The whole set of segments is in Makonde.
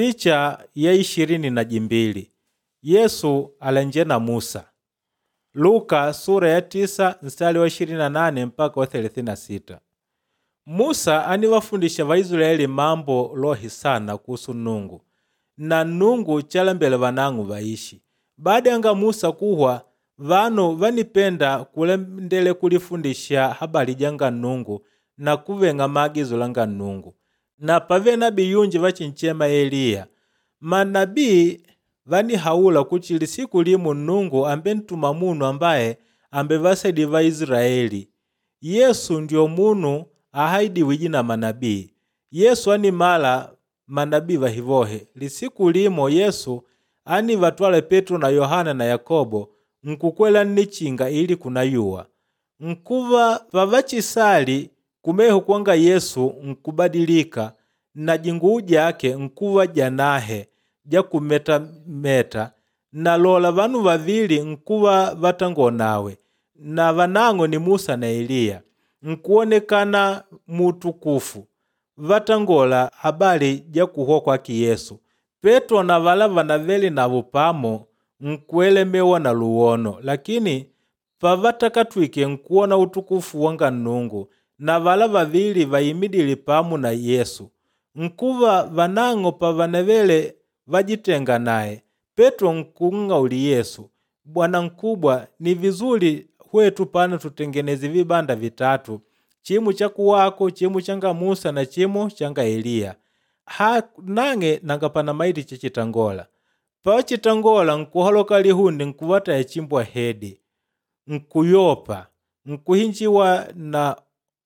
Picha ya 22 Yesu alanje na Musa. Luka sura ya 9 mstari wa 28 mpaka wa 36. Musa aniwafundisha Vaisilaeli mambo lohi sana kuhusu Nungu na Nungu chalembela vanang'o vaishi. Baada yanga Musa kuhwa, vanu vanipenda kulendele kulifundisha habari janga Nungu na kuveng'a maagizo langa Nungu. Na pave nabii yunji vachinchema Eliya. Manabii vanihaula kuti lisiku limu Nungu ambentuma munu ambaye ambevasaidi Vaisilaeli. Yesu ndio munu ahaidiwije na manabii. Yesu animala manabii vahivohe. Lisiku limo Yesu anivatwala Petro na Yohana na Yakobo nkukwela nnichinga ili kunayuwa. Nkuva pavachisali kumeho kwanga Yesu nkubadilika na jinguu jake nkuva janahe jakumetameta na lola vanu vavili nkuva vatangonawe na vanang'o ni Musa na Eliya nkuonekana mutukufu vatangola habari ja kuhwa kwake Yesu. Petro na vala vanavele navo pamo nkuelemewa na luwono, lakini pavatakatwike nkuona utukufu wanga Nnungu na vala vavili vayimidile pamo na Yesu. Nkuva vanang'o pavanavele vajitenga naye, Petro nkunng'auli Yesu, Bwana nkubwa, ni vizuri hwetu pano tutengeneze vibanda vitatu, chimu cha kuwako, chimu changa Musa na chimu changa Eliya. Ha nang'e nanga pana maiti chechitangola. Pachitangola nkuhaloka lihundi nkuvataya chimbwa hedi, nkuyopa, nkuhinjiwa na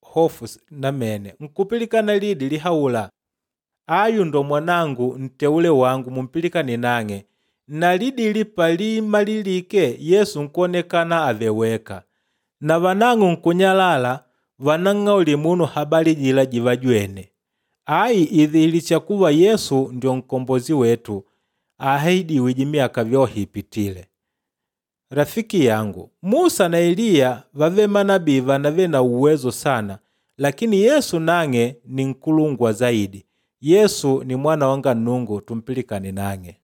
hofu namene, nkupilikana lidi lihaula, ayu ndo mwanangu nteule wangu mumpilikane nang'e. Na lidili palimalilike Yesu nkuonekana aveweka. Na vanang'o nkunyalala vanang'auli munu habari jila jivajwene. Ayi idhihilisha kuva Yesu ndio nkombozi wetu ahidiwije miaka vyohe ipitile. Rafiki yangu, Musa na Eliya vave manabii vanave na uwezo sana, lakini Yesu nang'e ni nkulungwa zaidi. Yesu ni mwana wanga Nungu tumpilikane nang'e.